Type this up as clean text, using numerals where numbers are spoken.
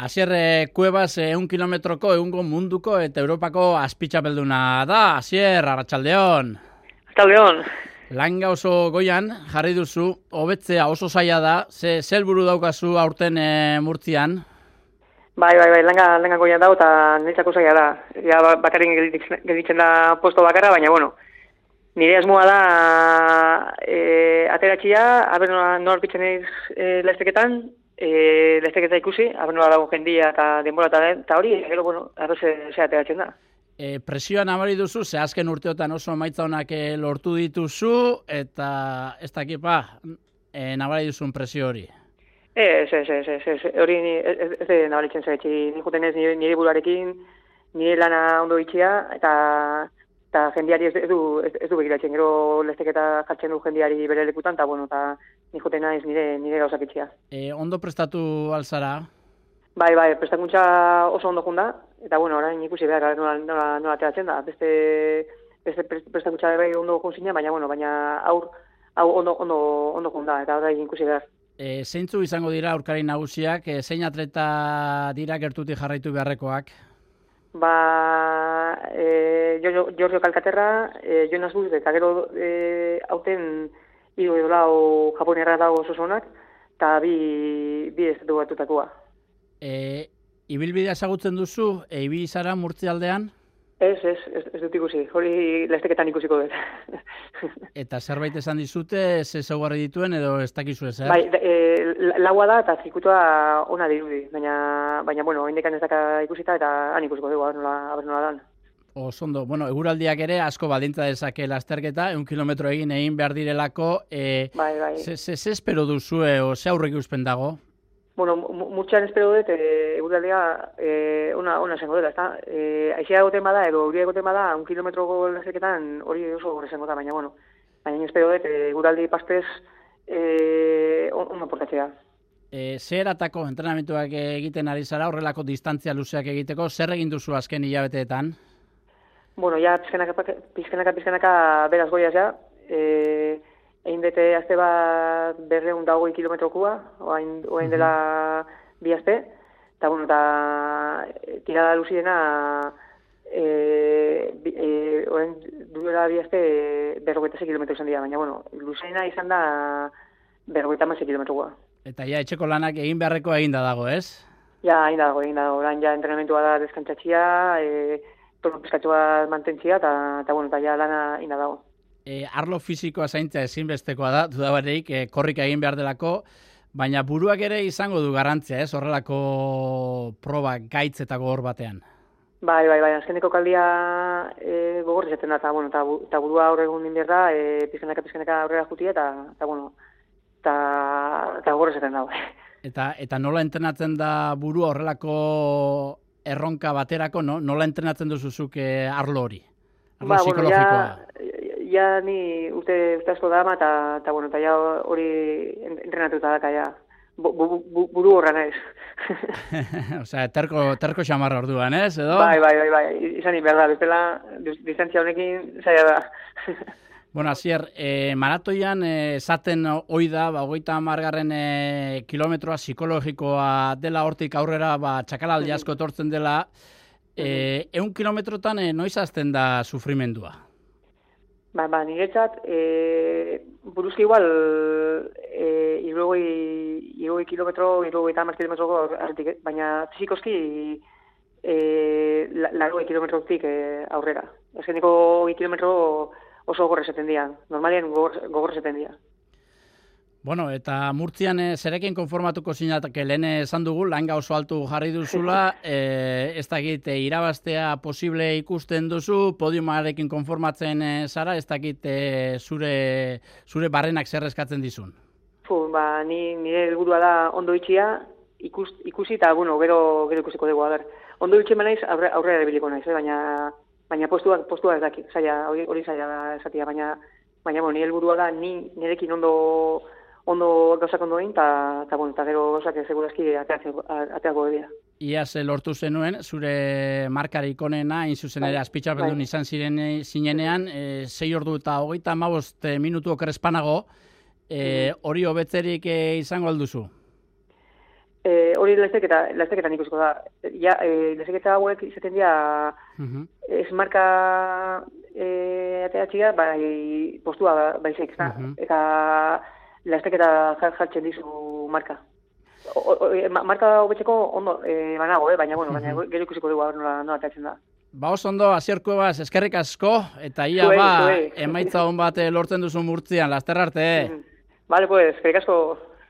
Asier Cuevas 1 kilometroko egungo munduko eta Europako azpitxapelduna da. Asier, arratsaldeon. Arratsaldeon. Langa oso goian jarri duzu, hobetzea oso zaila da. Ze helburu daukazu aurten Murtzian? Bai, langa goian dago eta niretzako zaila da. Ja bakarrik gelditzen da posto bakarra, baina bueno. Nire asmoa da ateratxia, aber nola aurkitzen naiz lasterketan, lasterketa ikusi, aber nola dago jendia eta denbora eta hori, gero bueno, arro ze ateratzen da. Presioa nabari duzu, ze azken urteotan oso emaitza honak lortu dituzu, eta ez dakipa nabari duzun presio hori. Ez, hori ez nabaritzen zaitxi, nik juten ez nire buruarekin, nire lana ondo itxia, eta jendiari ez du begiratzen, gero lesteketa jartzen du jendiari bere lekutan, eta bueno, eta nik juten naiz nire gauzak itxia. Ondo prestatu alzara? Bai, prestakuntza oso ondo junda, eta bueno, orain ikusi behar nola ateratzen da. Beste prestakuntza bai ondo junzina, baina hau ondo junda, eta orain ikusi behar. Zeintzu izango dira aurkari nagusiak, zein atleta dira gertutik jarraitu beharrekoak? Giorgio Calcaterra, Jonas Bus, eta gero hauten hiru edo lau japonerra dago oso zonak, eta bi estatu batutakoa. Ibilbidea ezagutzen duzu, ibili zara Murtzialdean? Ez dut ikusi, hori lasterketan ikusiko dut. Eta zerbait esan dizute, ze ezaugarri dituen edo ez dakizu ezer? Bai, laua da eta zirkuitua ona dirudi, baina bueno, indikan ez daka ikusita eta han ikusiko dugu, aber nola dan. Osondo, bueno, eguraldiak ere asko baldintza dezake lasterketa, 1 kilometro egin behar direlako. Bai. Ze espero duzue, o ze aurrek uspen dago? Bueno, mutxan espero dut, eguraldia ona zengo dela, ezta? Aixea egoten bada, edo euria egoten bada, 1 kilometroko lasterketan hori oso gore zengo da, baina bueno. Baina espero dut, eguraldi pastez ondo portatzea. Zer atako entrenamentuak egiten ari zara, horrelako distantzia luzeak egiteko, zer egin duzu azken hilabeteetan? Bueno, ja pizkenaka beraz goiaz ja. Egin dute azte bat 220 kilometrokua, oain dela bi azte. Eta, bueno, tirada luziena, oain duela bi azte 56 kilometro izan dira, baina, bueno, luziena izan da 56 kilometrokua. Eta ja etxeko lanak egin beharreko eginda dago, ez? Ja, egin dago. Orain ja entrenamentua da deskantzatzia, tono pizkatxo bat mantentzia, eta bueno, eta ja lana egin dago. Arlo fisikoa zaintzea ezinbestekoa da, dudabareik, korrika egin behar delako, baina buruak ere izango du garrantzia, ez? Horrelako proba gaitz eta gogor batean. Bai, azkeneko kaldia gogor izaten da, eta burua aurre egun din behar da, pizkenaka aurrera jutia, eta bueno, eta gogor izaten da. Eta nola entrenatzen da burua horrelako erronka baterako, nola entrenatzen duzuzuk arlo hori? Arlo psikologikoa? Ja ni urte asko dama, eta ja hori entrenatuta daka, ja. Buru horra naiz. Osea, terko xamarra orduan, ez, edo? Bai, izan behar da, bezala, distantzia honekin zaila da. Bueno, Asier, maratoian esaten ohi da, 30 kilometroa psikologikoa dela, hortik aurrera txakalaldi asko etortzen dela. 100 kilometrotan noiz hasten da sufrimendua? Niretzat, buruzki igual, 60 kilometro, 70 kilometroko arretik, baina fizikoski 80 kilometrotik aurrera. Azkeniko 20 kilometro oso gogor esaten dira, normalien gogor esaten dira. Bueno, eta Murtzian zerekin konformatuko zinateke, lehen esan dugu, langa oso altu jarri duzula, ez dakit irabaztea posible ikusten duzu, podiumarekin konformatzen zara, ez dakit zure barrenak zer eskatzen dizun? Nire helburua da ondo itxia, ikusi eta, bueno, gero ikusiko dugu, ondo itxien naiz, aurrera erabiliko naiz, baina postua ez daki, hori zaila da esatia, baina nire helburua da nirekin ondo gauzak ondo egin, eta gero gauzak segurazki ateako dira. Iaz lortu zenuen, zure markarik onena, zuzen ere azpitxapeldun izan zinenean, 6 ordu eta 35 minutu okerrezpanago, hori hobetzerik izango alduzu? Hori lasterketan ikusiko da. Ja, lasterketa hauek izaten dira ez marka ateatxia, bai postua baizik, eta lasterketa jartzen dizu marka. Marka hobetzeko ondo banago, baina gero ikusiko dugu nola ateatzen da. Oso ondo, Asier Cuevas, eskerrik asko, eta ia emaitza hon bat lortzen duzu Murtzian, laster arte. Vale, pues, eskerrik asko.